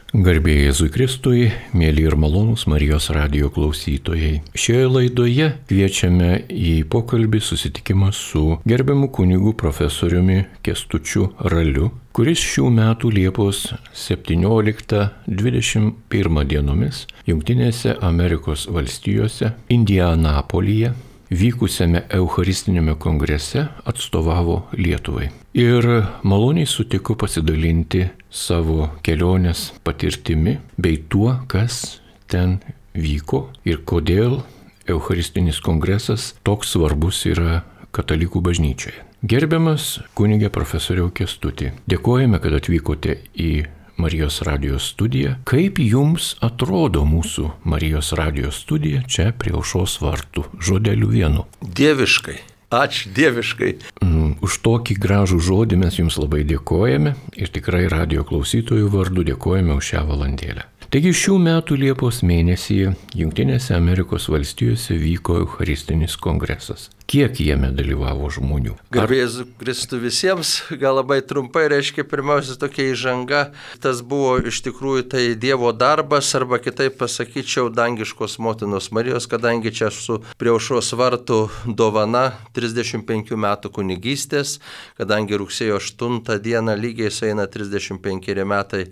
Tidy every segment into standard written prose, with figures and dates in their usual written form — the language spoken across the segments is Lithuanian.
Garbė Jėzui Kristui, mėly ir malonūs Marijos radijo klausytojai. Šioje laidoje kviečiame į pokalbį susitikimą su gerbiamu kunigu profesoriumi Kęstučiu Raliu, kuris šių metų Liepos 17-21 dienomis Jungtinėse Amerikos valstijose, Indianapolyje, vykusiame Eucharistiniame kongrese atstovavo Lietuvai. Ir maloniai sutiko pasidalinti savo kelionės patirtimi bei tuo, kas ten vyko ir kodėl Eucharistinis kongresas toks svarbus yra katalikų bažnyčioje. Gerbiamas kunige profesoriau Kęstuti, dėkojame, kad atvykote į Marijos radijos studiją. Kaip jums atrodo mūsų Marijos radijos studija čia prie Aušros vartų? Žodeliu vienu. Dieviškai. Ačiū, dieviškai. Už tokį gražų žodį mes jums labai dėkojame ir tikrai radijo klausytojų vardu dėkojame už šią valandėlę. Taigi šių metų Liepos mėnesį Jungtinėse Amerikos valstijose vyko Eucharistinis kongresas. Kiek jame dalyvavo žmonių? Garbė Jėzui Kristui visiems, gal labai trumpai reiškia pirmiausia tokia įžanga. Tas buvo iš tikrųjų tai Dievo darbas, arba kitaip pasakyčiau, dangiškos motinos Marijos, kadangi čia esu prie Aušros vartų dovana 35 metų kunigystės, kadangi rugsėjo 8 dieną lygiai sueina 35 metai,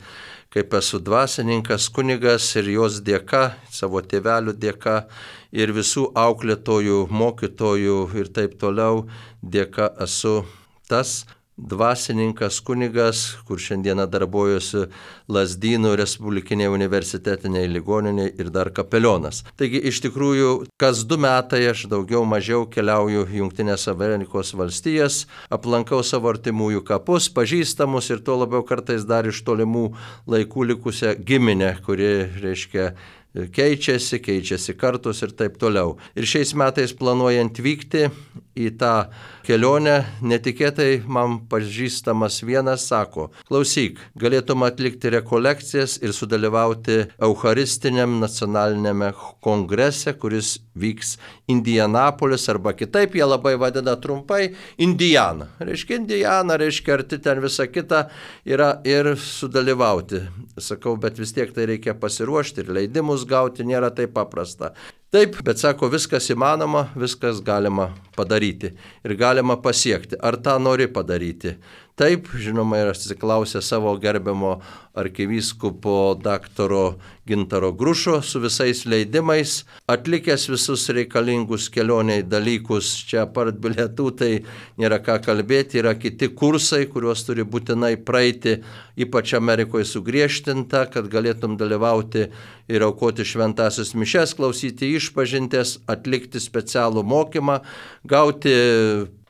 kaip esu dvasininkas, kunigas ir jos dėka, savo tėvelių dėka ir visų auklėtojų, mokytojų ir taip toliau dėka esu tas dvasininkas, kunigas, kur šiandieną darbuojuosi Lazdynų Respublikinėje universitetinėje ligoninėje ir dar kapelionas. Taigi iš tikrųjų kas 2 metai aš daugiau mažiau keliauju Jungtinės Amerikos valstijas, aplankau savo artimųjų kapus, pažįstamus ir tuo labiau kartais dar iš tolimų laikų likusią giminę, kuri reiškia keičiasi kartos ir taip toliau. Ir šiais metais planuojant vykti į tą kelionę, netikėtai man pažįstamas vienas sako: klausyk, galėtum atlikti rekolekcijas ir sudalyvauti Eucharistiniam nacionaliniame kongrese, kuris vyks Indianapolis, arba kitaip jie labai vadina trumpai Indiana. Indiana, arti ten visa kita yra ir sudalyvauti. Sakau, bet vis tiek tai reikia pasiruošti ir leidimus gauti nėra taip paprasta. Taip, bet sako, viskas įmanoma, viskas galima padaryti ir galima pasiekti. Ar tą nori padaryti? Taip, žinoma, ir atsiklausė savo gerbiamo arkivyskupo daktaro Gintaro Grušo su visais leidimais, atlikęs visus reikalingus kelioniai dalykus, čia apart bilietų, tai nėra ką kalbėti, yra kiti kursai, kuriuos turi būtinai praeiti, ypač Amerikoje sugriežtinta, kad galėtum dalyvauti ir aukoti šventąsias mišias, klausyti išpažintės, atlikti specialų mokymą, gauti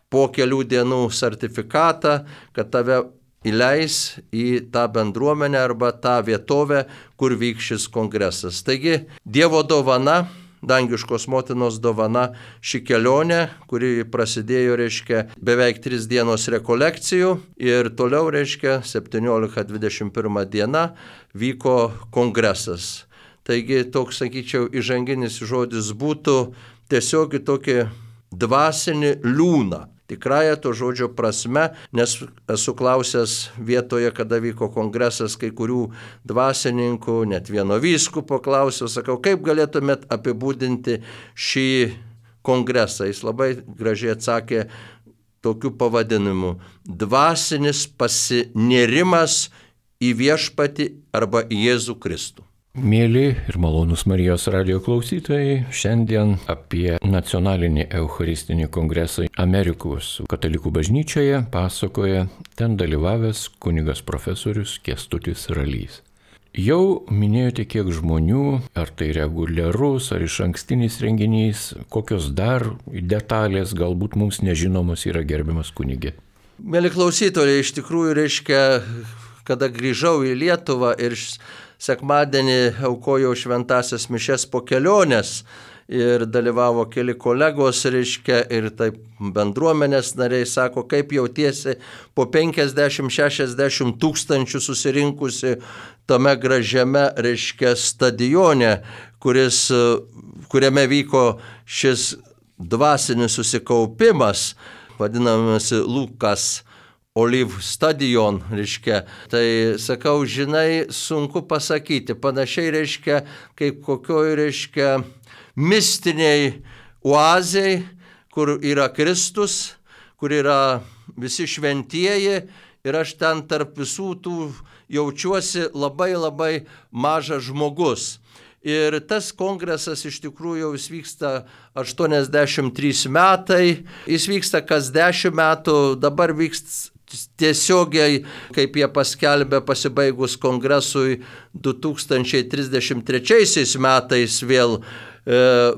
po kelių dienų sertifikatą, kad tave įleis į tą bendruomenę arba tą vietovę, kur vyks šis kongresas. Taigi, Dievo dovana, dangiškos motinos dovana, ši kelionė, kuri prasidėjo, beveik 3 dienos rekolekcijų ir toliau, 17-21 diena, vyko kongresas. Taigi, toks, sakyčiau, įžanginis žodis būtų tiesiog tokį dvasinį liūną. Tikrąją to žodžio prasme, nes esu klausęs vietoje, kada vyko kongresas, kai kurių dvasininkų, net vieno vyskupo klausiau, sakau, kaip galėtumėt apibūdinti šį kongresą. Jis labai gražiai atsakė tokiu pavadinimu: dvasinis pasinėrimas į viešpatį arba į Jėzų Kristų. Mėly ir malonūs Marijos radijo klausytojai, šiandien apie nacionalinį Eucharistinį kongresą Amerikos katalikų bažnyčioje pasakoja ten dalyvavęs kunigas profesorius Kęstutis Ralys. Jau minėjote, kiek žmonių, ar tai reguliarus, ar išankstinis renginys, kokios dar detalės galbūt mums nežinomos yra, gerbiamas kunige. Mėly klausytojai, iš tikrųjų kada grįžau į Lietuvą ir sekmadienį aukojau šventąsias mišias po kelionės ir dalyvavo keli kolegos, ir taip bendruomenės nariai, sako, kaip jautiesi po 50-60 tūkstančių susirinkusi tame gražiame, stadione, kuriame vyko šis dvasinis susikaupimas, vadinamasi Lukas Olive Stadion, reiškia. Tai sakau, žinai, sunku pasakyti. Panašiai, reiškia, kaip kokioj, reiškia, mistiniai oazei, kur yra Kristus, kur yra visi šventieji ir aš ten tarp visų tų jaučiuosi labai labai mažas žmogus. Ir tas kongresas iš tikrųjų jau jis vyksta 83 metai, jis vyksta kas 10 metų, dabar vyksta tiesiogiai, kaip jie paskelbė pasibaigus kongresui 2033 metais vėl,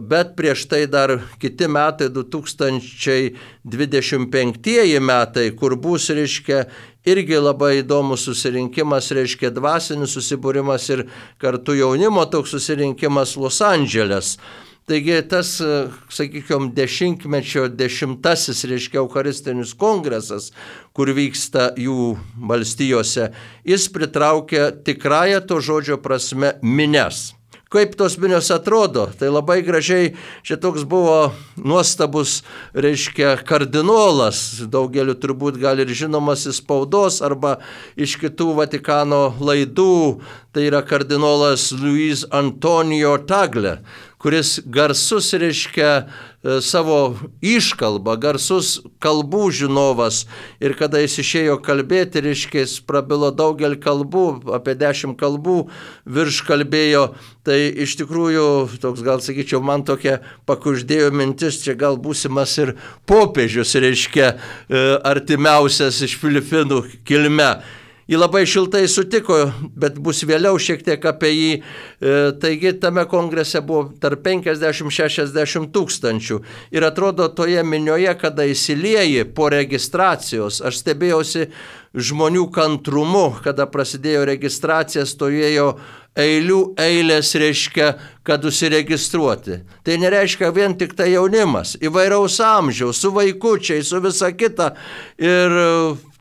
bet prieš tai dar kiti metai, 2025 metai, kur bus, reiškia, irgi labai įdomus susirinkimas, reiškia, dvasinis susibūrimas ir kartu jaunimo toks susirinkimas Los Andželes. Taigi tas, sakykime, dešimtmečio 10-asis, reiškia, Eucharistinis kongresas, kur vyksta jų valstijose, jis pritraukia tikrąją to žodžio prasme minias. Kaip tos minios atrodo? Tai labai gražiai, šitoks buvo nuostabus, reiškia, kardinolas, daugeliu turbūt gal ir žinomas iš spaudos arba iš kitų Vatikano laidų, tai yra kardinolas Luis Antonio Tagle, kuris garsus, reiškia, savo iškalbą, garsus kalbų žinovas. Ir kada jis išėjo kalbėti, reiškia, jis prabilo daugelį kalbų, apie 10 kalbų virš kalbėjo. Tai iš tikrųjų, toks gal sakyčiau, man tokia pakuždėjo mintis, čia gal būsimas ir popiežius, reiškia, artimiausias iš Filipinų kilme. Jį labai šiltai sutiko, bet bus vėliau šiek tiek apie jį. Taigi tame kongrese buvo tarp 50-60 tūkstančių. Ir atrodo toje minioje, kada įsilieji po registracijos, aš stebėjausi žmonių kantrumu, kada prasidėjo registracija, stovėjo eilės, reiškia, kad užsiregistruoti. Tai nereiškia vien tik tai jaunimas, įvairaus amžiaus, su vaikučiai, su visa kita. Ir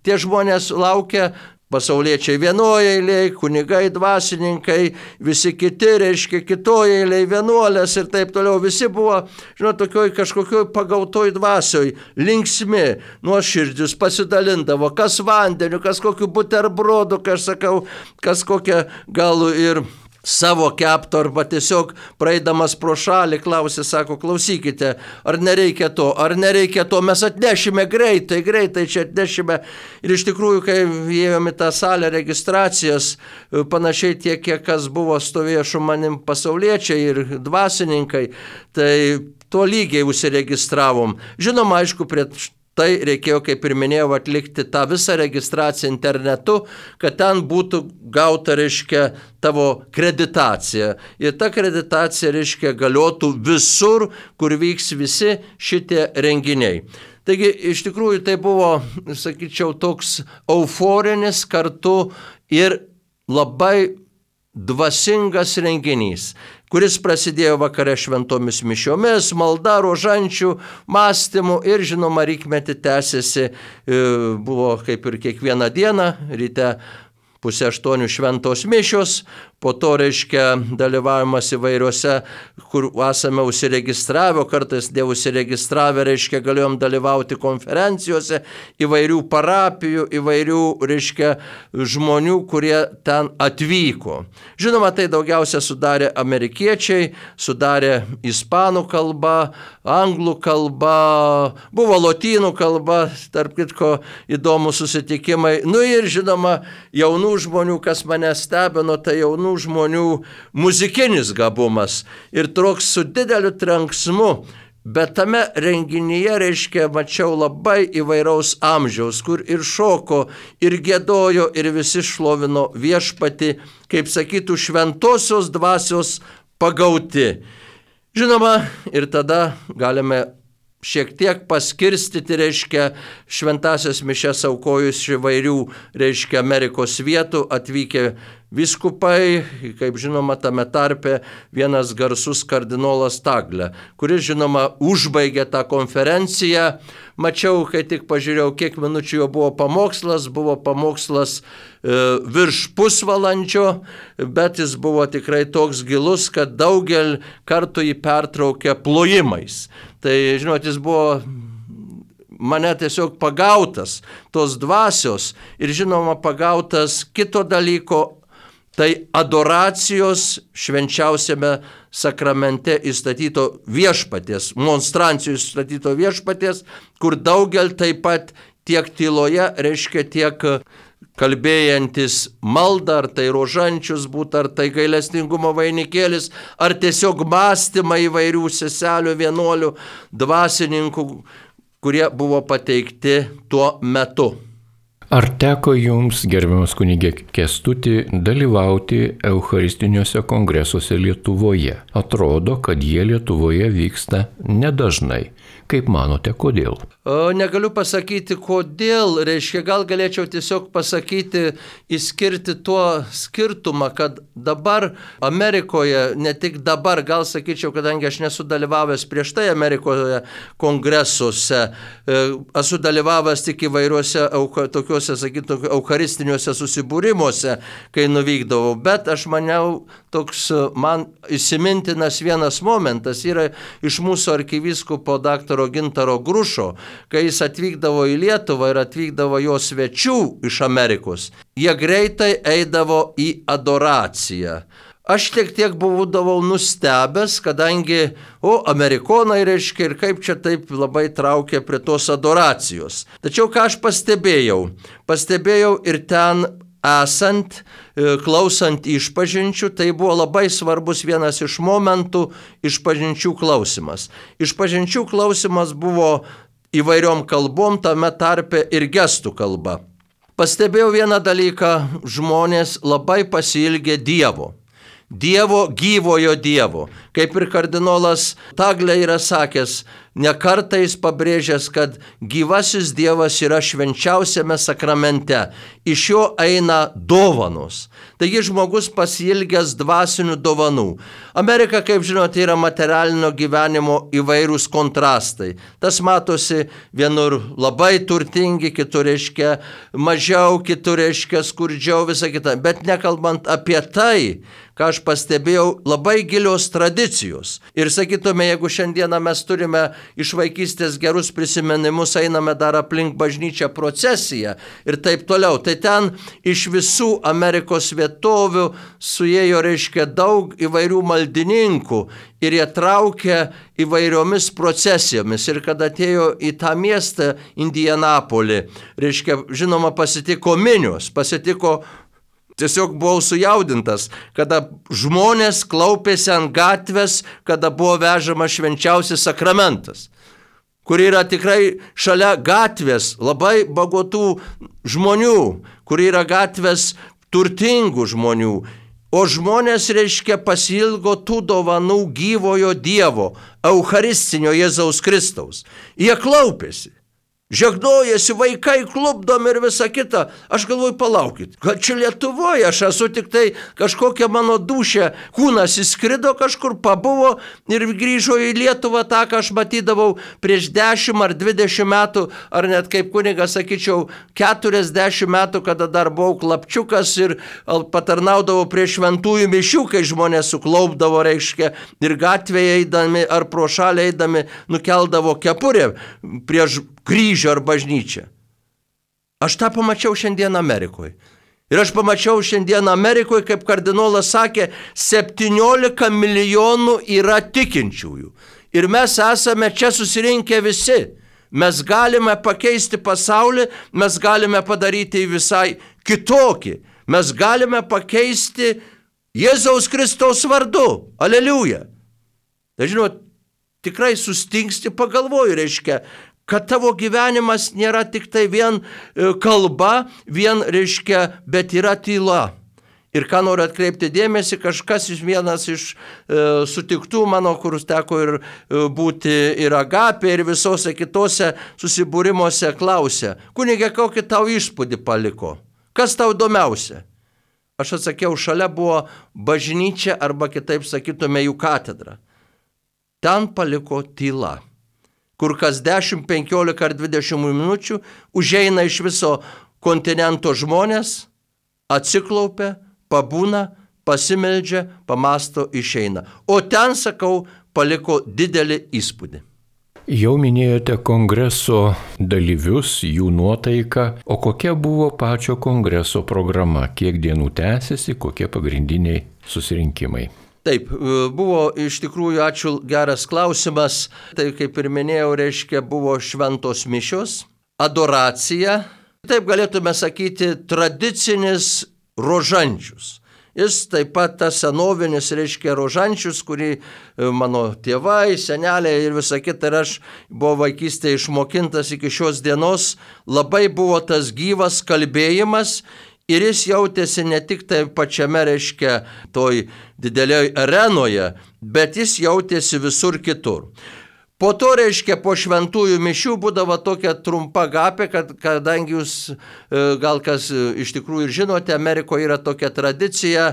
tie žmonės laukia. Pasauliečiai vienoje eilėje, kunigai, dvasininkai, visi kiti, reiškia, kitoje eilėje, vienuolės ir taip toliau. Visi buvo, tokioj kažkokioj pagautoj dvasioj, linksmi, nuoširdžius, pasidalindavo, kas vandeniu, kas kokiu buterbrodu, kas sakau, kas kokią gal ir savo kepto, arba tiesiog praeidamas pro šalį klausė, sako, klausykite, ar nereikia to, mes atnešime greitai čia atnešime. Ir iš tikrųjų, kai įėjome tą salę registracijos, panašiai tiek, kiek kas buvo stovėjo su manim pasauliečiai ir dvasininkai, tai to lygiai užsiregistravom. Žinoma, aišku, prie tai reikėjo, kaip ir minėjau, atlikti tą visą registraciją internetu, kad ten būtų gauta, reiškia, tavo kreditacija. Ir ta kreditacija, reiškia, galiotų visur, kur vyks visi šitie renginiai. Taigi, iš tikrųjų, tai buvo, sakyčiau, toks euforinis kartu ir labai dvasingas renginys, kuris prasidėjo vakare šventomis mišiomis, malda, rožančių, mąstymų ir, žinoma, rykmetį tęsiasi, buvo kaip ir kiekvieną dieną, ryte 7:30 šventos mišios, po to, reiškia, dalyvavimas įvairiuose, kur esame užsiregistravę, kartais neužsiregistravę, reiškia, galėjom dalyvauti konferencijose, įvairių parapijų, įvairių, reiškia, žmonių, kurie ten atvyko. Žinoma, tai daugiausia sudarė amerikiečiai, sudarė ispanų kalba, anglų kalba, buvo lotynų kalba, tarp kitko įdomūs susitikimai. Nu ir, žinoma, jaunų žmonių, kas mane stebino, tai jaunų žmonių muzikinis gabumas ir toks su dideliu trenksmu, bet tame renginyje, reiškia, mačiau labai įvairaus amžiaus, kur ir šoko, ir giedojo, ir visi šlovino viešpatį, kaip sakytų, šventosios dvasios pagauti. Žinoma, ir tada galime šiek tiek paskirstyti, reiškia, šventasias mišias aukojus įvairių, reiškia, Amerikos vietų atvykę vyskupai, kaip žinoma, tame tarpe vienas garsus kardinolas Tagle, kuris, žinoma, užbaigė tą konferenciją. Mačiau, kai tik pažiūrėjau, kiek minučių jo buvo pamokslas virš pusvalandžio, bet jis buvo tikrai toks gilus, kad daugelį kartų jį pertraukė plojimais. Tai, žinot, jis buvo mane tiesiog pagautas tos dvasios ir žinoma pagautas kito dalyko, tai adoracijos švenčiausiame sakramente įstatyto viešpaties, monstrancijų įstatyto viešpaties, kur daugel taip pat tiek tyloje, reiškia tiek kalbėjantis maldą, ar tai rožančius būtų, ar tai gailestingumo vainikėlis, ar tiesiog mąstymai įvairių seselių, vienuolių, dvasininkų, kurie buvo pateikti tuo metu. Ar teko jums, gerbiamas kunigė Kęstuti, dalyvauti eucharistiniuose kongresuose Lietuvoje? Atrodo, kad jie Lietuvoje vyksta nedažnai. Kaip manote, kodėl? Negaliu pasakyti, kodėl, reiškia, gal galėčiau tiesiog pasakyti, išskirti tuo skirtumą, kad dabar Amerikoje, ne tik dabar, gal sakyčiau, kadangi aš nesu dalyvavęs prieš tai Amerikoje kongresuose, esu dalyvavęs tik įvairiuose tokiuose, sakytum, eucharistiniuose susibūrimuose, kai nuvykdavau, bet aš maniau, toks man įsimintinas vienas momentas yra iš mūsų arkivyskupo daktaro Gintaro Grušo, kai jis atvykdavo į Lietuvą ir atvykdavo jo svečių iš Amerikos. Jie greitai eidavo į adoraciją. Aš tiek būdavau nustebęs, kadangi, amerikonai reiškia ir kaip čia taip labai traukia prie tos adoracijos. Tačiau ką aš pastebėjau? Pastebėjau ir ten esant, klausant išpažinčių, tai buvo labai svarbus vienas iš momentų išpažinčių klausimas. Išpažinčių klausimas buvo įvairiom kalbom, tame tarpe ir gestų kalba. Pastebėjau vieną dalyką, žmonės labai pasiilgė Dievo. Dievo, gyvojo Dievo. Kaip ir kardinolas Taglė yra sakęs, ne kartą jis pabrėžęs, kad gyvasis Dievas yra švenčiausiame sakramente. Iš jo eina dovanos. Taigi žmogus pasiilgęs dvasinių dovanų. Amerika, kaip žinote, yra materialinio gyvenimo įvairūs kontrastai. Tas matosi vienur labai turtingi, kitur reiškia mažiau, kitur reiškia skurdžiau, visa kita. Bet nekalbant apie tai, ką aš pastebėjau, labai gilios tradicijos. Ir sakytume, jeigu šiandieną mes turime iš vaikystės gerus prisiminimus, einame dar aplink bažnyčią procesiją ir taip toliau. Tai ten iš visų Amerikos vietovių suėjo, reiškia, daug įvairių maldininkų ir jie traukė įvairiomis procesijomis. Ir kad atėjo į tą miestą Indianapolį, reiškia, žinoma, pasitiko minios, tiesiog buvau sujaudintas, kada žmonės klaupėsi ant gatvės, kada buvo vežamas švenčiausias sakramentas, kur yra tikrai šalia gatvės labai bagotų žmonių, kur yra gatvės turtingų žmonių, o žmonės, reiškia, pasiilgo tų dovanų gyvojo Dievo, eucharistinio Jėzaus Kristaus. Jie klaupėsi. Žegnojasi, vaikai klupdomi ir visa kita. Aš galvoju, palaukit, kad čia Lietuvoje aš esu tik tai kažkokia mano dūšė, kūnas įskrido kažkur, pabuvo ir grįžo į Lietuvą tą, ką aš matydavau prieš 10 ar 20 metų, ar net kaip kunigas, sakyčiau, 40 metų, kada dar buvau klapčiukas ir patarnaudavau prie šventųjų mišių, kai žmonės suklaupdavo, reiškia, ir gatvėje eidami ar pro šalį eidami nukeldavo kepurę prieš kryžių ar bažnyčią. Aš tą pamačiau šiandien Amerikoje. Ir aš pamačiau šiandien Amerikoje, kaip kardinolas sakė, 17 milijonų yra tikinčiųjų. Ir mes esame čia susirinkę visi. Mes galime pakeisti pasaulį, mes galime padaryti visai kitokį. Mes galime pakeisti Jėzaus Kristaus vardu. Aleliuja. Tai žinot, tikrai sustingsti pagalvoju, reiškia, kad tavo gyvenimas nėra tik tai vien kalba, vien, reiškia, bet yra tyla. Ir ką noriu atkreipti dėmesį, kažkas vienas iš sutiktų mano, kur teko ir būti ir Agapė, ir visose kitose susibūrimuose klausė, kunige, kokį tau įspūdį paliko? Kas tau įdomiausia? Aš atsakiau, šalia buvo bažnyčia arba kitaip sakytume jų katedra. Ten paliko tyla, kur kas 10, 15 ar 20 minučių užeina iš viso kontinento žmonės, atsiklaupia, pabūna, pasimeldžia, pamasto, išeina. O ten, sakau, paliko didelį įspūdį. Jau minėjote kongreso dalyvius, jų nuotaiką, o kokia buvo pačio kongreso programa, kiek dienų tęsiasi, kokie pagrindiniai susirinkimai? Taip, buvo iš tikrųjų, ačiū, geras klausimas. Tai kaip ir minėjau, reiškia, buvo šventos mišios, adoracija, taip galėtume sakyti, tradicinis rožančius. Jis taip pat tas senovinis, reiškia, rožančius, kurį mano tėvai, seneliai ir visa kita, ir aš buvau vaikystėje išmokintas iki šios dienos, labai buvo tas gyvas kalbėjimas. Ir jis jautėsi ne tik tai pačiame, reiškia, toj didelioje arenoje, bet jis jautėsi visur kitur. Po to, reiškia, po šventųjų mišių būdavo tokia trumpa gapė, kadangi jūs gal kas iš tikrųjų ir žinote, Amerikoje yra tokia tradicija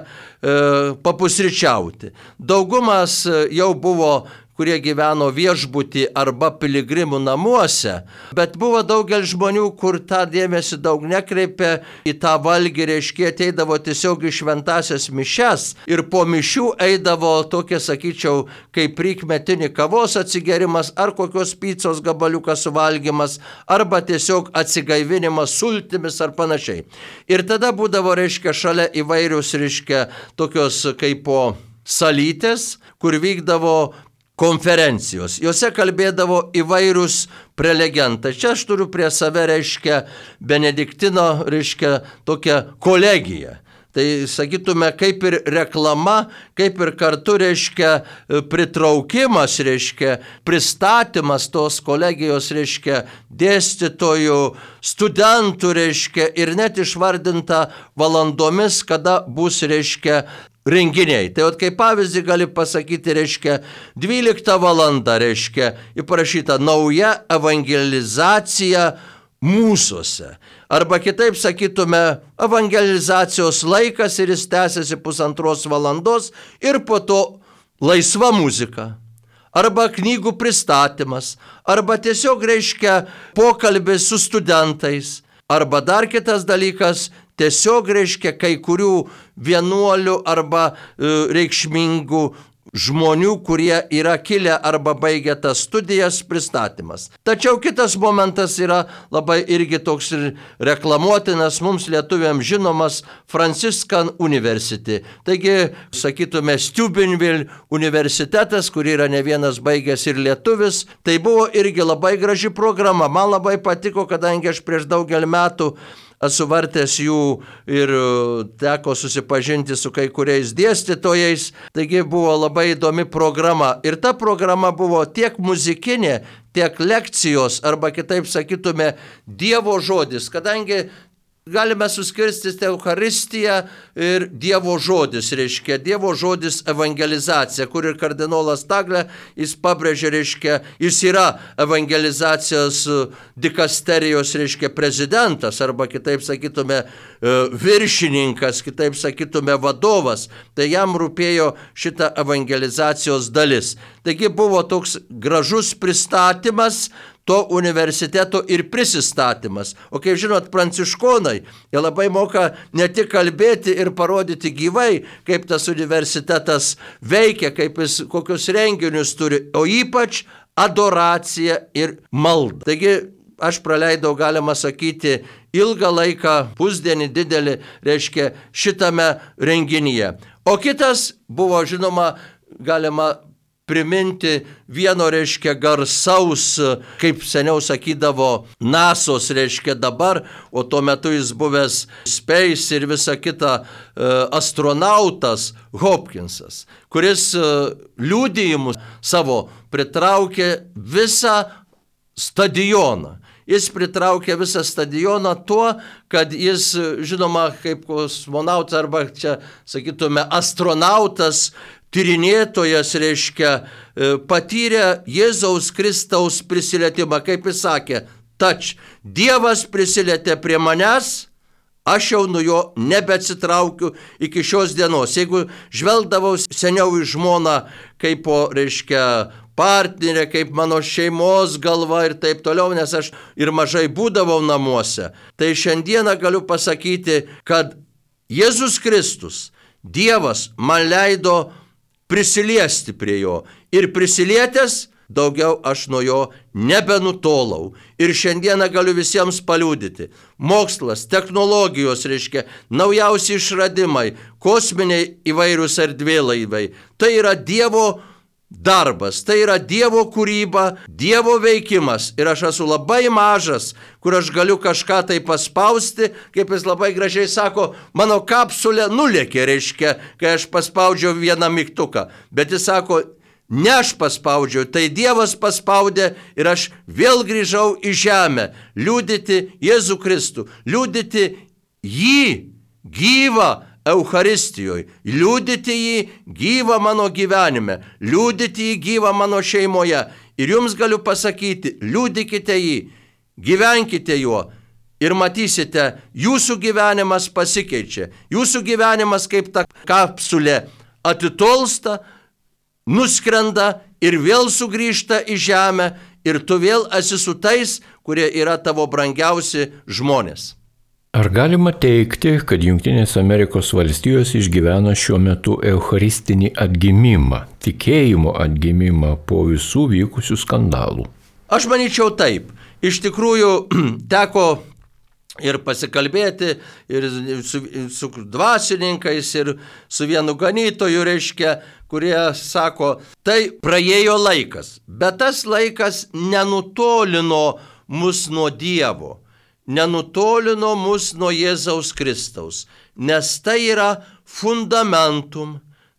papusryčiauti. Daugumas jau buvo, kurie gyveno viešbutį arba piligrimų namuose, bet buvo daugelis žmonių, kur tą dėmesį daug nekreipė į tą valgį, reiškia, ateidavo tiesiog į šventasias mišes ir po mišių eidavo tokie, sakyčiau, kaip prikmetinį kavos atsigerimas ar kokios picos gabaliukas suvalgymas arba tiesiog atsigaivinimas sultimis ar panašiai. Ir tada būdavo, reiškia, šalia įvairius, reiškia, tokios kaip po salytės, kur vykdavo konferencijos. Jose kalbėdavo įvairius prelegentai. Čia aš turiu prie save, reiškia, Benediktino, reiškia, tokią kolegiją. Tai sakytume, kaip ir reklama, kaip ir kartu, reiškia, pritraukimas, reiškia, pristatymas tos kolegijos, reiškia, dėstytojų, studentų, reiškia, ir net išvardinta valandomis, kada bus, reiškia, renginiai. Tai kaip pavyzdį gali pasakyti, reiškia, 12 valanda, reiškia, įprašyta nauja evangelizacija mūsuose. Arba kitaip sakytume, evangelizacijos laikas ir jis tęsiasi 1,5 valandos ir po to laisva muzika. Arba knygų pristatymas, arba tiesiog, reiškia, pokalbis su studentais. Arba dar kitas dalykas, tiesiog, reiškia, kai kurių vienuolių arba reikšmingų žmonių, kurie yra kilę arba baigę tas studijas, pristatymas. Tačiau kitas momentas yra labai irgi toks ir reklamuotinas, mums lietuviams žinomas Franciscan University. Taigi, sakytume, Steubenville universitetas, kur yra ne vienas baigęs ir lietuvis, tai buvo irgi labai graži programa. Man labai patiko, kadangi aš prieš daugelį metų esu vartęs jų ir teko susipažinti su kai kuriais dėstytojais, taigi buvo labai įdomi programa. Ir ta programa buvo tiek muzikinė, tiek lekcijos, arba kitaip sakytume, Dievo žodis, kadangi galime suskirstyti Eucharistiją ir Dievo žodis, reiškia, Dievo žodis evangelizacija, kur ir kardinolas Tagle, jis pabrėžė, reiškia, jis yra evangelizacijos dikasterijos, reiškia, prezidentas, arba kitaip sakytume, viršininkas, kitaip sakytume, vadovas, tai jam rūpėjo šita evangelizacijos dalis. Taigi buvo toks gražus pristatymas to universiteto ir prisistatymas. O kaip žinot, pranciškonai, jie labai moka ne tik kalbėti ir parodyti gyvai, kaip tas universitetas veikia, kaip jis kokius renginius turi, o ypač adoracija ir malda. Taigi aš praleidau, galima sakyti, ilgą laiką, pusdienį didelį, reiškia, šitame renginyje. O kitas buvo, žinoma, galima priminti vieno, reiškia, garsaus, kaip seniau sakydavo, NASOS, reiškia, dabar, o tuo metu jis buvęs Space ir visa kita astronautas Hopkinsas, kuris liudijimus savo pritraukė visą stadioną. Jis pritraukė visą stadioną tuo, kad jis, žinoma, kaip kosmonautas arba čia, sakytume, astronautas, tyrinėtojas, reiškia, patyrė Jėzaus Kristaus prisilietimą, kaip jis sakė, tač, Dievas prisilietė prie manęs, aš jau nuo jo nebeatsitraukiu iki šios dienos. Jeigu žvelgdavau seniau į žmoną kaip po, reiškia, partnerė, kaip mano šeimos galva ir taip toliau, nes aš ir mažai būdavau namuose, tai šiandieną galiu pasakyti, kad Jėzus Kristus, Dievas, man leido prisiliesti prie jo. Ir prisilietęs, daugiau aš nuo jo nebenutolau. Ir šiandieną galiu visiems paliudyti. Mokslas, technologijos, naujausi išradimai, kosminiai įvairius erdvėlaiviai. Tai yra Dievo darbas, tai yra Dievo kūryba, Dievo veikimas. Ir aš esu labai mažas, kur aš galiu kažką tai paspausti, kaip jis labai gražiai sako, mano kapsulė nulėkė, kai aš paspaudžiau vieną mygtuką. Bet jis sako, ne aš paspaudžiau, tai Dievas paspaudė ir aš vėl grįžau į žemę, liudyti Jėzų Kristų, liudyti jį gyvą Eucharistijoje, liudyti jį gyvą mano gyvenime, liudyti jį gyvą mano šeimoje. Ir jums galiu pasakyti, liudykite jį, gyvenkite juo ir matysite, jūsų gyvenimas pasikeičia. Jūsų gyvenimas kaip ta kapsulė atitolsta, nuskrenda ir vėl sugrįžta į žemę ir tu vėl esi su tais, kurie yra tavo brangiausi žmonės. Ar galima teigti, kad Junktinės Amerikos valstijos išgyvena šiuo metu eucharistinį atgimimą, tikėjimo atgimimą po visų vykusių skandalų? Aš manyčiau taip. Iš tikrųjų, teko ir pasikalbėti ir su dvasininkais, ir su vienu ganytoju, kurie sako, tai praėjo laikas, bet tas laikas nenutolino mus nuo Dievo. Nenutolino mus nuo Jėzaus Kristaus, nes tai yra fundamentum,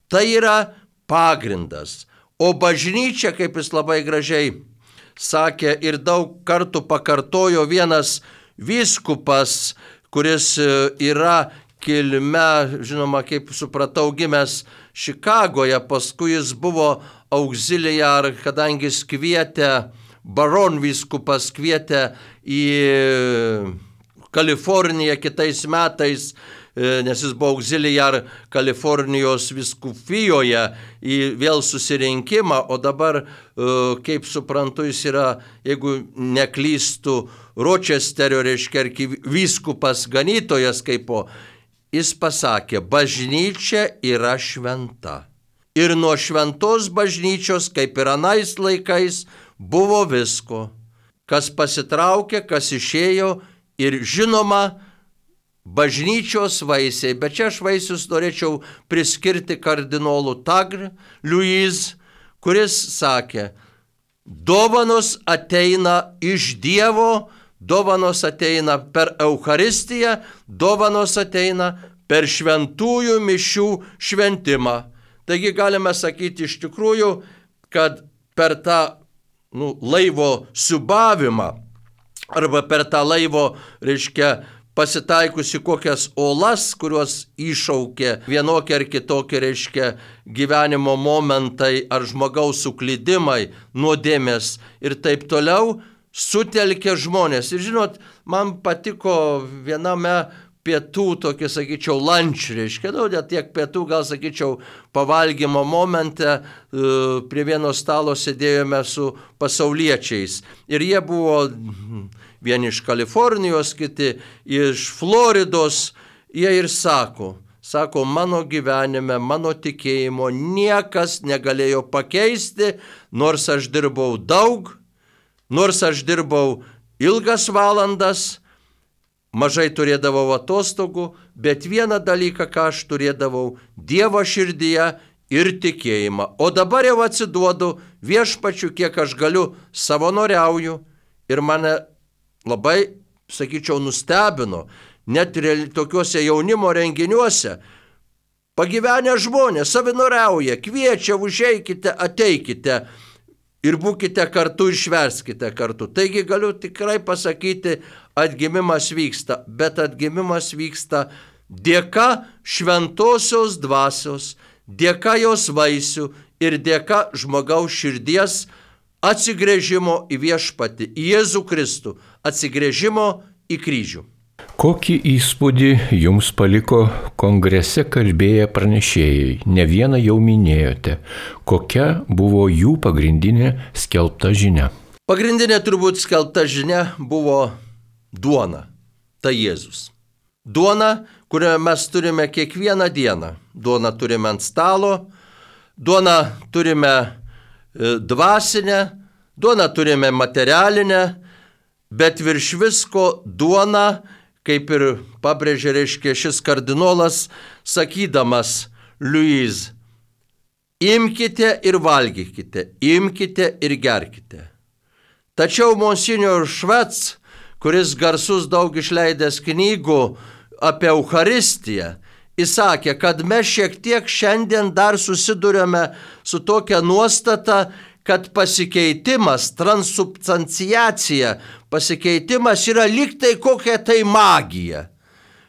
tai yra pagrindas. O bažnyčia, kaip jis labai gražiai sakė ir daug kartų pakartojo vienas vyskupas, kuris yra kilme, žinoma, kaip supratau, gimęs Čikagoje, paskui jis buvo auxiliar, kadangi jis kvietė, baron vyskupas kvietė į Kaliforniją kitais metais, nes jis buvo auxiliar Kalifornijos vyskupijoje į vėl susirinkimą, o dabar, kaip suprantu, jis yra, jeigu neklystų, Ročesterio, vyskupas ganytojas kaipo, jis pasakė, bažnyčia yra šventa. Ir nuo šventos bažnyčios, kaip ir anais laikais, buvo visko, kas pasitraukė, kas išėjo ir žinoma bažnyčios vaisiai. Bet čia aš vaisius norėčiau priskirti kardinolų Tagre, Louis, kuris sakė, dovanos ateina iš Dievo, dovanos ateina per Eucharistiją, dovanos ateina per šventųjų mišių šventimą. Taigi galime sakyti iš tikrųjų, kad per tą laivo siūbavimą arba per tą laivo, pasitaikusi kokias olas, kurios iššaukė vienokie ar kitokie, gyvenimo momentai ar žmogaus suklydimai, nuodėmės ir taip toliau, sutelkė žmonės. Ir žinot, man patiko viename pietų, tokį, sakyčiau, lunch, net tiek pietų, gal, sakyčiau, pavalgymo momente prie vieno stalo sėdėjome su pasauliečiais. Ir jie buvo vieni iš Kalifornijos, kiti iš Floridos. Jie ir sako, mano gyvenime, mano tikėjimo niekas negalėjo pakeisti, nors aš dirbau daug, nors aš dirbau ilgas valandas, mažai turėdavau atostogų, bet vieną dalyką, ką aš turėdavau, Dievo širdyje ir tikėjimą. O dabar jau atsiduodu viešpačiu, kiek aš galiu, savanoriauju. Ir mane labai, sakyčiau, nustebino, net ir tokiuose jaunimo renginiuose, pagyvenę žmonės savanoriauja, kviečia, užeikite, ateikite ir būkite kartu ir švęskite kartu. Taigi galiu tikrai pasakyti, atgimimas vyksta, bet atgimimas vyksta dėka šventosios dvasios, dėka jos vaisių ir dėka žmogaus širdies atsigręžimo į viešpatį, į Jėzų Kristų, atsigręžimo į kryžių. Kokį įspūdį jums paliko kongrese kalbėję pranešėjai? Ne vieną jau minėjote. Kokia buvo jų pagrindinė skelbta žinia? Pagrindinė turbūt skelbta žinia buvo duona. Tai Jėzus. Duona, kurią mes turime kiekvieną dieną. Duona turime ant stalo, duona turime dvasinę, duoną turime materialinę, bet virš visko duona, kaip ir pabrėžė, reiškia, šis kardinolas, sakydamas, Louise, imkite ir valgykite, imkite ir gerkite. Tačiau Monsignor Švec, kuris garsus daug išleidęs knygų apie Eucharistiją, įsakė, kad mes šiek tiek šiandien dar susidurėme su tokia nuostata, kad pasikeitimas, transubstanciacija, pasikeitimas yra lyg tai kokia tai magija.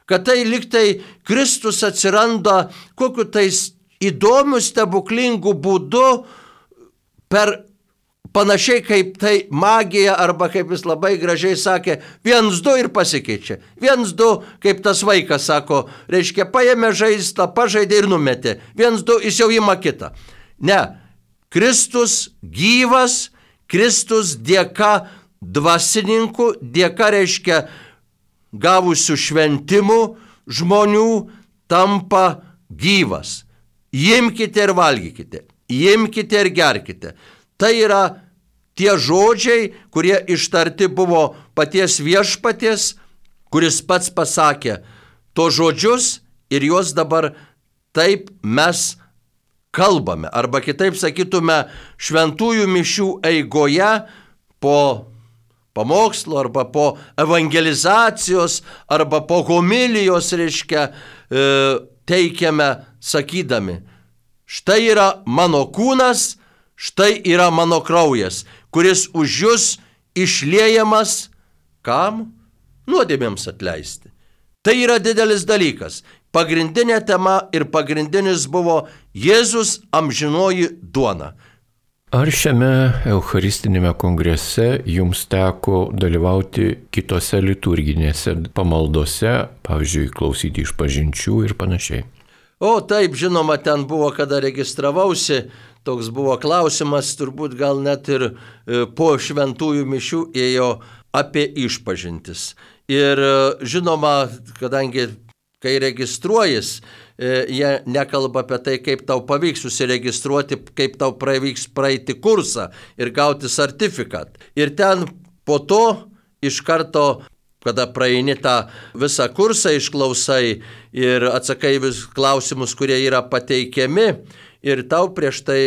Kad tai lyg tai Kristus atsiranda kokiu tai įdomiu, stebuklingu būdu per panašiai kaip tai magija, arba kaip jis labai gražiai sakė, 1-2 ir pasikeičia. 1-2, kaip tas vaikas sako, reiškia, paėmė žaislą, pažaidė ir numetė. 1-2, jis jau ima kitą. Ne, Kristus gyvas, Kristus dėka dvasininkų, dėka, reiškia, gavusių šventimų žmonių tampa gyvas. Imkite ir valgykite, imkite ir gerkite. Tai yra tie žodžiai, kurie ištarti buvo paties viešpaties, kuris pats pasakė to žodžius ir juos dabar taip mes kalbame. Arba kitaip sakytume, šventųjų mišių eigoje po pamokslo arba po evangelizacijos arba po homilijos, reiškia, teikiame sakydami, štai yra mano kūnas, štai yra mano kraujas, kuris už jus išliejamas, kam? Nuodėmėms atleisti. Tai yra didelis dalykas. Pagrindinė tema ir pagrindinis buvo Jėzus amžinoji duona. Ar šiame Eucharistinėme kongrese jums teko dalyvauti kitose liturginėse pamaldose, pavyzdžiui, klausyti išpažinčių ir panašiai? O taip, žinoma, ten buvo, kada registravausi, toks buvo klausimas, turbūt gal net ir po šventųjų mišių ėjo apie išpažintis. Ir žinoma, kadangi kai registruojas, jie nekalba apie tai, kaip tau pavyks susiregistruoti, kaip tau pavyks praeiti kursą ir gauti sertifikat. Ir ten po to iš karto, kada praeini tą visą kursą, išklausai ir atsakai vis klausimus, kurie yra pateikiami, ir tau prieš tai,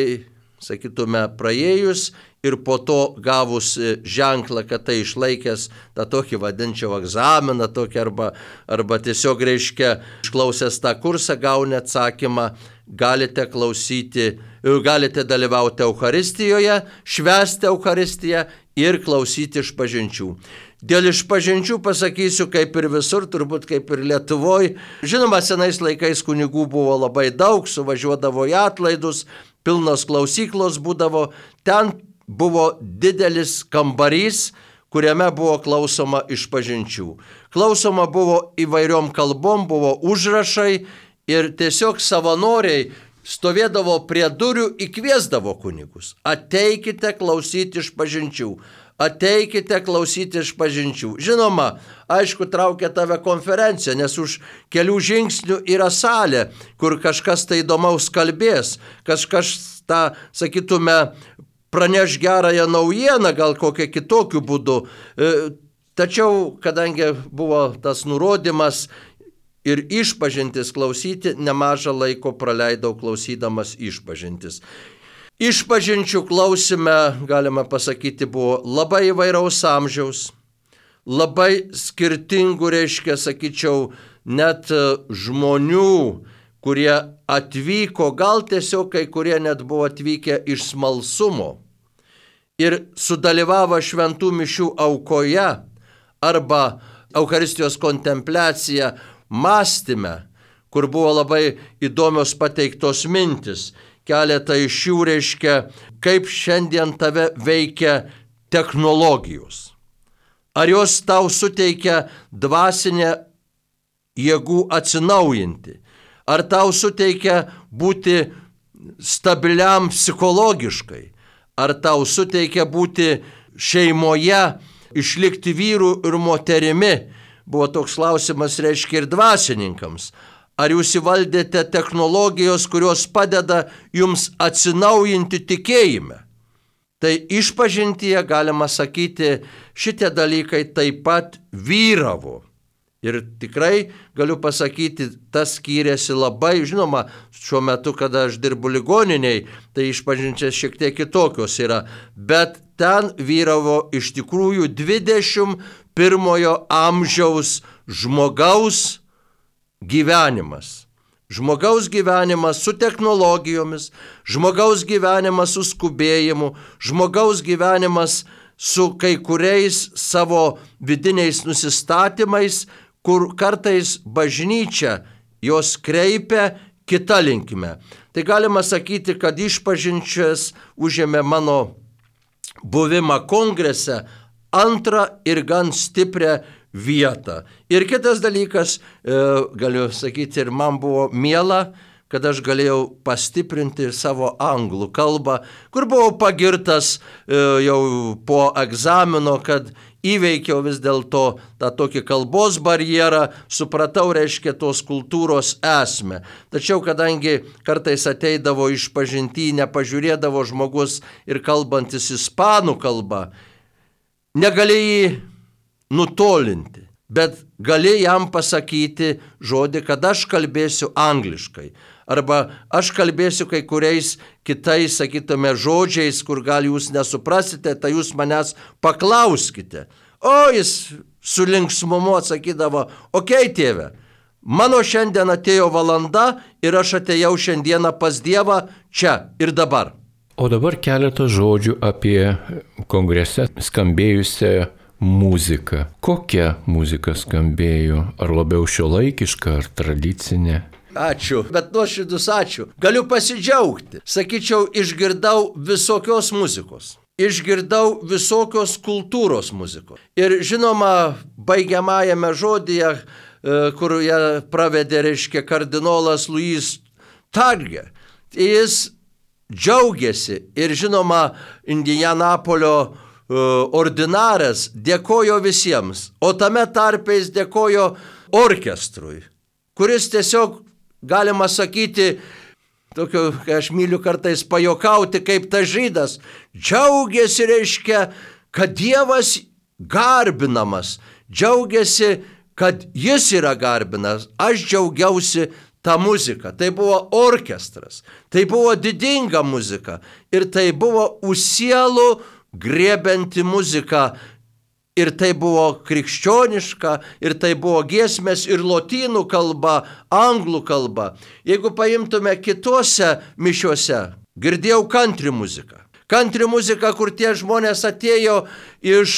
sakytume, praėjus ir po to gavus ženklą, kad tai išlaikęs tą tokį vadinčiau egzaminą, tokį arba tiesiog, reiškia, išklausęs tą kursą, gauni atsakymą, galite klausyti, galite dalyvauti Eucharistijoje, švęsti Eucharistiją ir klausyti išpažinčių. Dėl išpažinčių pasakysiu, kaip ir visur, turbūt kaip ir Lietuvoje. Žinoma, senais laikais kunigų buvo labai daug, suvažiuodavo į atlaidus, pilnos klausyklos būdavo. Ten buvo didelis kambarys, kuriame buvo klausoma išpažinčių. Klausoma buvo įvairiom kalbom, buvo užrašai ir tiesiog savanoriai stovėdavo prie durų, įkviesdavo kunigus. Ateikite klausyti išpažinčių. Ateikite klausyti išpažinčių. Žinoma, aišku, traukia tave konferencija, nes už kelių žingsnių yra salė, kur kažkas tai įdomaus kalbės, kažkas tą, sakytume, praneš gerąją naujieną, gal kokią kitokiu būdu. Tačiau, kadangi buvo tas nurodymas ir išpažintis klausyti, nemažą laiko praleidau klausydamas išpažintis. Išpažinčių klausime, galima pasakyti, buvo labai įvairaus amžiaus, labai skirtingų, reiškia, sakyčiau, net žmonių, kurie atvyko, gal tiesiog kai kurie net buvo atvykę iš smalsumo ir sudalyvavo šventų mišių aukoje arba Eucharistijos kontempliacija mąstyme, kur buvo labai įdomios pateiktos mintis. Keletą iš jų, reiškia, kaip šiandien tave veikia technologijos. Ar jos tau suteikia dvasinę jėgų atsinaujinti? Ar tau suteikia būti stabiliam psichologiškai? Ar tau suteikia būti šeimoje, išlikti vyrų ir moterimi? Buvo toks klausimas, reiškia, ir dvasininkams. Ar jūs įvaldėte technologijos, kurios padeda jums atsinaujinti tikėjime? Tai išpažintyje, galima sakyti, šitie dalykai taip pat vyravo. Ir tikrai galiu pasakyti, tas skyrėsi labai, žinoma, šiuo metu, kada aš dirbu ligoniniai, tai išpažinčias šiek tiek kitokios yra, bet ten vyravo iš tikrųjų 21 amžiaus žmogaus gyvenimas. Žmogaus gyvenimas su technologijomis, žmogaus gyvenimas su skubėjimu, žmogaus gyvenimas su kai kuriais savo vidiniais nusistatymais, kur kartais bažnyčia jos kreipia kita linkme. Tai galima sakyti, kad išpažinčias užėmė mano buvimą kongrese antrą ir gan stiprią vietą. Ir kitas dalykas, galiu sakyti, ir man buvo miela, kad aš galėjau pastiprinti savo anglų kalbą, kur buvau pagirtas jau po egzamino, kad įveikiau vis dėlto tą tokį kalbos barjerą, supratau, reiškia, tos kultūros esmę. Tačiau, kadangi kartais ateidavo išpažinty, nepažiūrėdavo žmogus ir kalbantis ispanų kalbą, negali jį nutolinti, bet gali jam pasakyti žodį, kad aš kalbėsiu angliškai. Arba aš kalbėsiu kai kuriais kitais, sakytume, žodžiais, kur gal jūs nesuprasite, tai jūs manęs paklauskite. O jis su linksmumu atsakydavo, okei, tėve, mano šiandien atėjo valanda ir aš atėjau šiandieną pas Dievą čia ir dabar. O dabar keletą žodžių apie kongrese skambėjusią muziką. Kokia muzika skambėjo? Ar labiau šiuolaikiška, ar tradicinė? Ačiū, bet nuoširdus ačiū. Galiu pasidžiaugti. Sakyčiau, išgirdau visokios muzikos. Išgirdau visokios kultūros muzikos. Ir žinoma, baigiamajame žodyje, kur ją pravedė, reiškia, kardinolas Louis Targe, jis džiaugiasi ir žinoma, Indianapolio ordinaras dėkojo visiems, o tame tarpe jis dėkojo orkestrui, kuris tiesiog, galima sakyti, tokio, kai aš myliu kartais pajokauti, kaip tas žydas, džiaugiasi, reiškia, kad Dievas garbinamas, džiaugiasi, kad jis yra garbinas. Aš džiaugiausi tą muziką. Tai buvo orkestras, tai buvo didinga muzika ir tai buvo sielų griebianti muzika. Ir tai buvo krikščioniška, ir tai buvo giesmės ir lotynų kalba, anglų kalba. Jeigu paimtume kitose mišiuose, girdėjau country muziką. Country muzika, kur tie žmonės atėjo iš,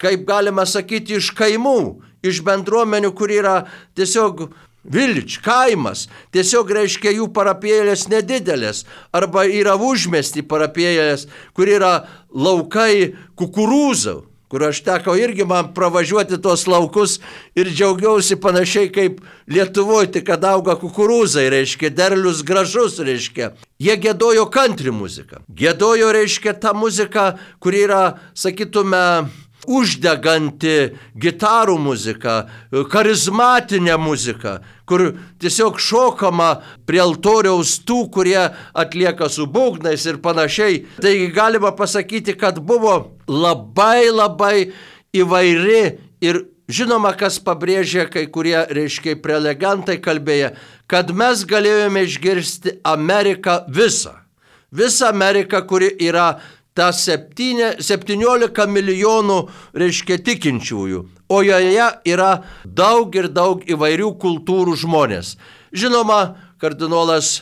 kaip galima sakyti, iš kaimų, iš bendruomenių, kur yra tiesiog village, kaimas, tiesiog reiškia jų parapėlės nedidelės, arba yra užmiesty parapėlės, kur yra laukai kukurūzų, kur aš teko irgi man pravažiuoti tos laukus ir džiaugiausi panašiai kaip Lietuvoje, tik kad auga kukurūzai, reiškia, derlius gražus, reiškia. Jie giedojo country muziką. Giedojo, reiškia, tą muziką, kur yra, sakytume, uždeganti gitarų muzika, charizmatinė muzika, kur tiesiog šokama prie altoriaus tų, kurie atlieka su būgnais ir panašiai. Taigi galima pasakyti, kad buvo labai įvairi ir žinoma, kas pabrėžė kai kurie, reiškia, prelegentai kalbėję, kad mes galėjome išgirsti Ameriką visą. Visą Ameriką, kuri yra ta 17 milijonų, reiškia, tikinčiųjų, o joje yra daug ir daug įvairių kultūrų žmonės. Žinoma, kardinolas,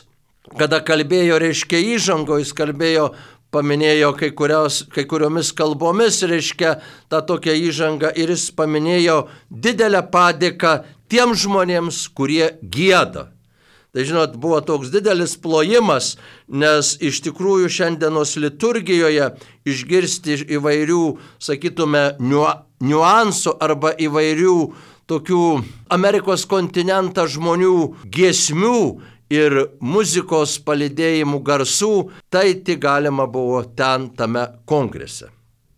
kada kalbėjo, reiškia, įžango, jis kalbėjo, paminėjo kai kuriomis kalbomis, reiškia, tą tokią įžangą ir jis paminėjo didelę padėką tiem žmonėms, kurie gieda. Tai žinot, buvo toks didelis plojimas, nes iš tikrųjų šiandienos liturgijoje išgirsti įvairių, sakytume, niuansų arba įvairių tokių Amerikos kontinentą žmonių giesmių ir muzikos palydėjimų garsų, tai tik galima buvo ten tame kongrese.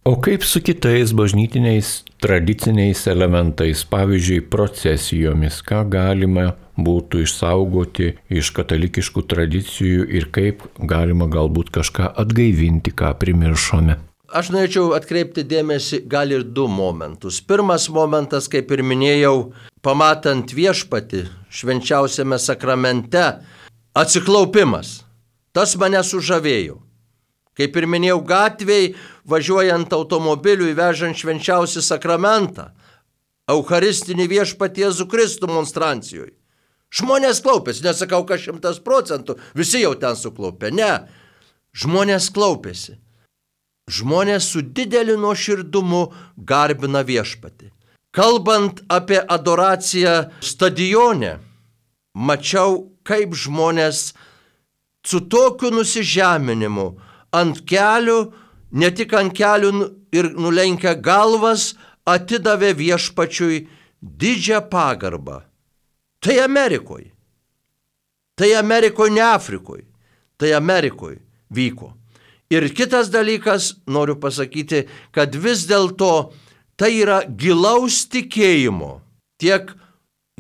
O kaip su kitais bažnytiniais tradiciniais elementais, pavyzdžiui, procesijomis, ką galima būtų išsaugoti iš katalikiškų tradicijų ir kaip galima galbūt kažką atgaivinti, ką primiršome? Aš norėčiau atkreipti dėmesį gal ir du momentus. Pirmas momentas, kaip ir minėjau, pamatant viešpatį švenčiausiame sakramente, atsiklaupimas. Tas mane sužavėjo. Kaip ir minėjau, gatvėj, važiuojant automobiliu įvežant švenčiausią sakramentą, Eucharistinį viešpatį Jėzų Kristų monstrancijoje. Žmonės klaupėsi, nesakau, kad 100%, visi jau ten suklaupė, ne. Žmonės klaupėsi. Žmonės su dideliu nuoširdumu garbina viešpatį. Kalbant apie adoraciją stadione, mačiau, kaip žmonės su tokiu nusižeminimu ant kelių, ne tik ant kelių ir nulenkę galvas, atidavė viešpačiui didžią pagarbą. Tai Amerikoje. Tai Amerikoje, ne Afrikoje. Tai Amerikoje vyko. Ir kitas dalykas, noriu pasakyti, kad vis dėlto tai yra gilaus tikėjimo tiek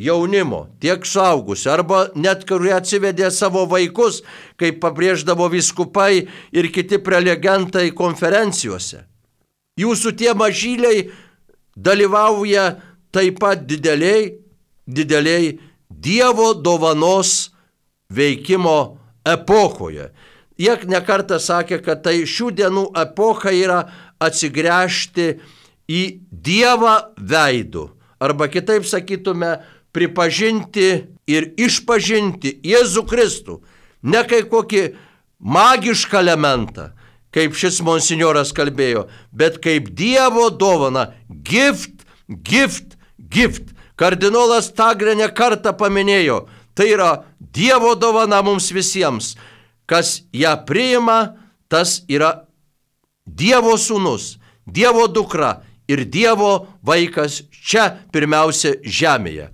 jaunimo, tiek suaugusių, arba net kurie atsivedė savo vaikus, kaip pabrėždavo vyskupai ir kiti prelegentai konferencijose. Jūsų tie mažyliai dalyvauja taip pat dideliai Dievo dovanos veikimo epochoje. Jie nekartą sakė, kad tai šių dienų epocha yra atsigręžti į Dievą veidu. Arba kitaip sakytume, pripažinti ir išpažinti Jėzų Kristų. Ne kaip kokį magišką elementą, kaip šis monsinjoras kalbėjo, bet kaip Dievo dovana. Gift, gift, gift. Kardinolas Tagle ne kartą paminėjo, tai yra Dievo dovana mums visiems. Kas ją priima, tas yra Dievo sūnus, Dievo dukra ir Dievo vaikas čia pirmiausia žemėje.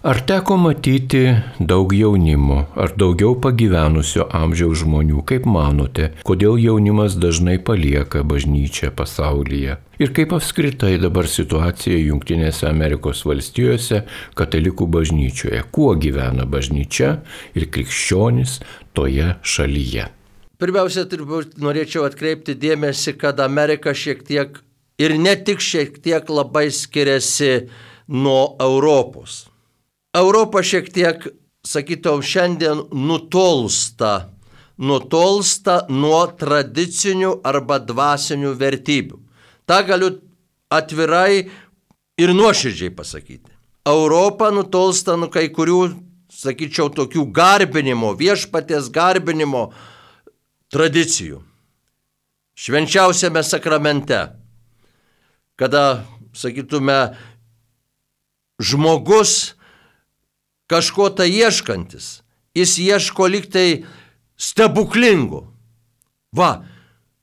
Ar teko matyti daug jaunimo, ar daugiau pagyvenusio amžiaus žmonių? Kaip manote, kodėl jaunimas dažnai palieka bažnyčią pasaulyje? Ir kaip apskritai dabar situacija Jungtinėse Amerikos valstijose katalikų bažnyčioje? Kuo gyvena bažnyčia ir krikščionys toje šalyje? Pirmiausia, norėčiau atkreipti dėmesį, kad Amerika šiek tiek ir ne tik šiek tiek labai skiriasi nuo Europos. Europa šiek tiek, sakytum, šiandien nutolsta nuo tradicinių arba dvasinių vertybių. Ta galiu atvirai ir nuoširdžiai pasakyti. Europa nutolsta nuo kai kurių, sakyčiau, tokių garbinimo, viešpaties garbinimo tradicijų. Švenčiausiame sakramente, kada, sakytume, žmogus kažko tai ieškantis, jis ieško liktai stebuklingų. Va,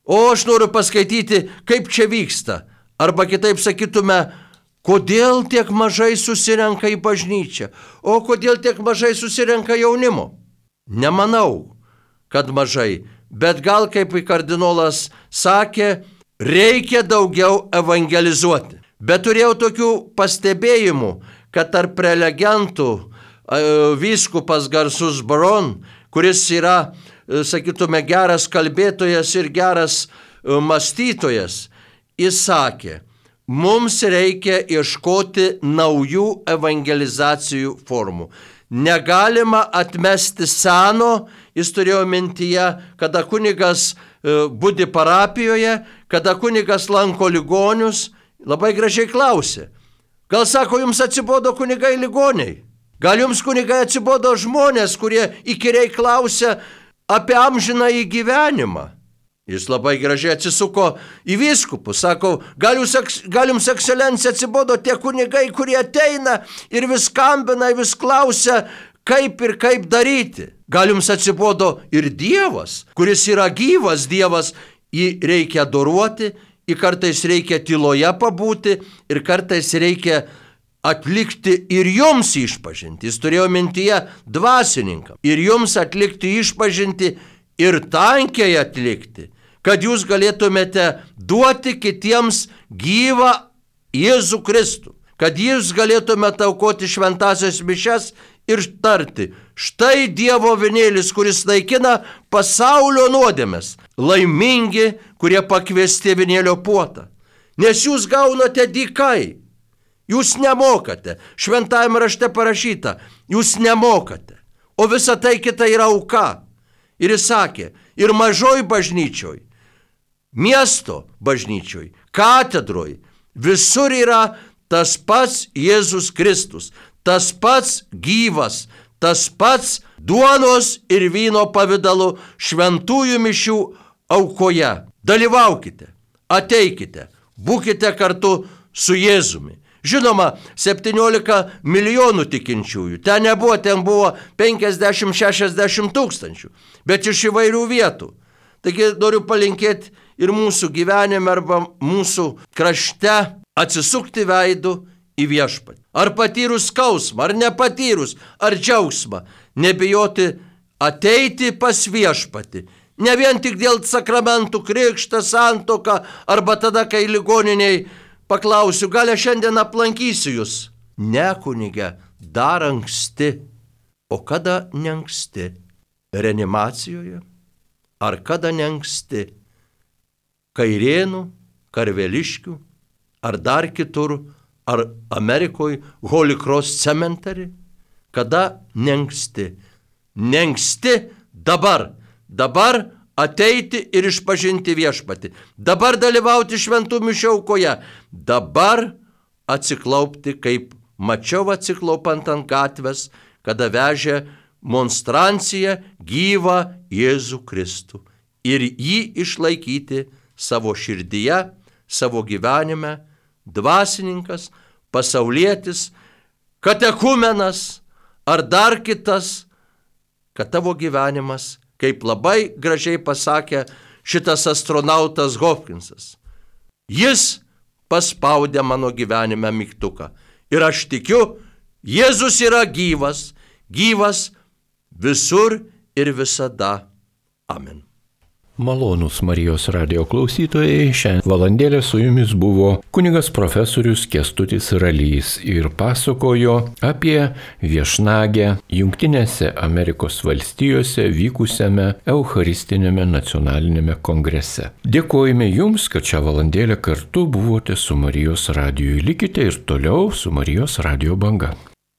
o aš noriu paskaityti, kaip čia vyksta. Arba kitaip sakytume, kodėl tiek mažai susirenka į bažnyčią, o kodėl tiek mažai susirenka jaunimo. Nemanau, kad mažai, bet gal kaip kardinolas sakė, reikia daugiau evangelizuoti. Bet turėjau tokių pastebėjimų, kad tarp prelegentų vyskupas garsus Baron, kuris yra, sakytume, geras kalbėtojas ir geras mąstytojas, jis sakė, mums reikia ieškoti naujų evangelizacijų formų. Negalima atmesti seno, jis turėjo mintyje, kada kunigas budi parapijoje, kada kunigas lanko ligonius, labai gražiai klausė. Gal sako, jums atsibodo kunigai ligoniai? Gal jums kunigai atsibodo žmonės, kurie įkyriai klausia apie amžinąjį gyvenimą? Jis labai gražiai atsisuko į vyskupus, sako, gal jums ekscelencija atsibodo tie kunigai, kurie ateina ir vis skambina, vis klausia, kaip ir kaip daryti. Gal jums atsibodo ir Dievas, kuris yra gyvas Dievas, jį reikia adoruoti, jį kartais reikia tyloje pabūti ir kartais reikia atlikti ir jums išpažinti. Jis turėjo mintyje dvasininkam. Ir jums atlikti išpažinti ir tankiai atlikti. kad jūs galėtumėte duoti kitiems gyvą Jėzų Kristų, kad jūs galėtumėte aukoti šventasias mišias ir tarti, štai Dievo avinėlis, kuris naikina pasaulio nuodėmes, laimingi, kurie pakviesti avinėlio puotą. Nes jūs gaunate dykai, jūs nemokate, šventajame rašte parašyta, jūs nemokate, o visa tai kita yra auka. Ir jis sakė, ir mažoj bažnyčioj, miesto bažnyčioj, katedroj, visur yra tas pats Jėzus Kristus, tas pats gyvas, tas pats duonos ir vyno pavidalu šventųjų mišių aukoje. Dalyvaukite, ateikite, būkite kartu su Jėzumi. Žinoma, 17 milijonų tikinčiųjų. Ten nebuvo, ten buvo 50-60 tūkstančių, bet iš įvairių vietų. Taigi noriu palinkėti ir mūsų gyvenime arba mūsų krašte atsisukti veidų į viešpatį. Ar patyrus skausmą, ar nepatyrus, ar džiaugsmą, nebijoti ateiti pas viešpatį. Ne vien tik dėl sakramentų, krikštą, santuoką, arba tada, kai ligoniniai paklausiu, gal aš šiandien aplankysiu jūs. Ne, kunige, dar anksti. O kada neanksti? Reanimacijoje? Ar kada neanksti? Kairėnų, Karveliškių, ar dar kitur, ar Amerikoje, Holy Cross cementary? Kada neanksti? Neanksti dabar. Dabar ateiti ir išpažinti viešpatį. Dabar dalyvauti šventų mišių aukoje. Dabar atsiklaupti, kaip mačiau atsiklaupant ant gatvės, kada vežė monstranciją gyvą Jėzų Kristų. Ir jį išlaikyti savo širdyje, savo gyvenime, dvasininkas, pasaulietis, katekumenas ar dar kitas, kad tavo gyvenimas, kaip labai gražiai pasakė šitas astronautas Hopkinsas, jis paspaudė mano gyvenime mygtuką. Ir aš tikiu, Jėzus yra gyvas, gyvas visur ir visada. Amen. Malonūs Marijos radijo klausytojai, šią valandėlę su jumis buvo kunigas profesorius Kęstutis Ralys ir pasakojo apie viešnagę Jungtinėse Amerikos valstijose vykusiame Eucharistiniame nacionaliniame kongrese. Dėkojame jums, kad šią valandėlę kartu buvote su Marijos radiju. Likite ir toliau su Marijos radijo banga.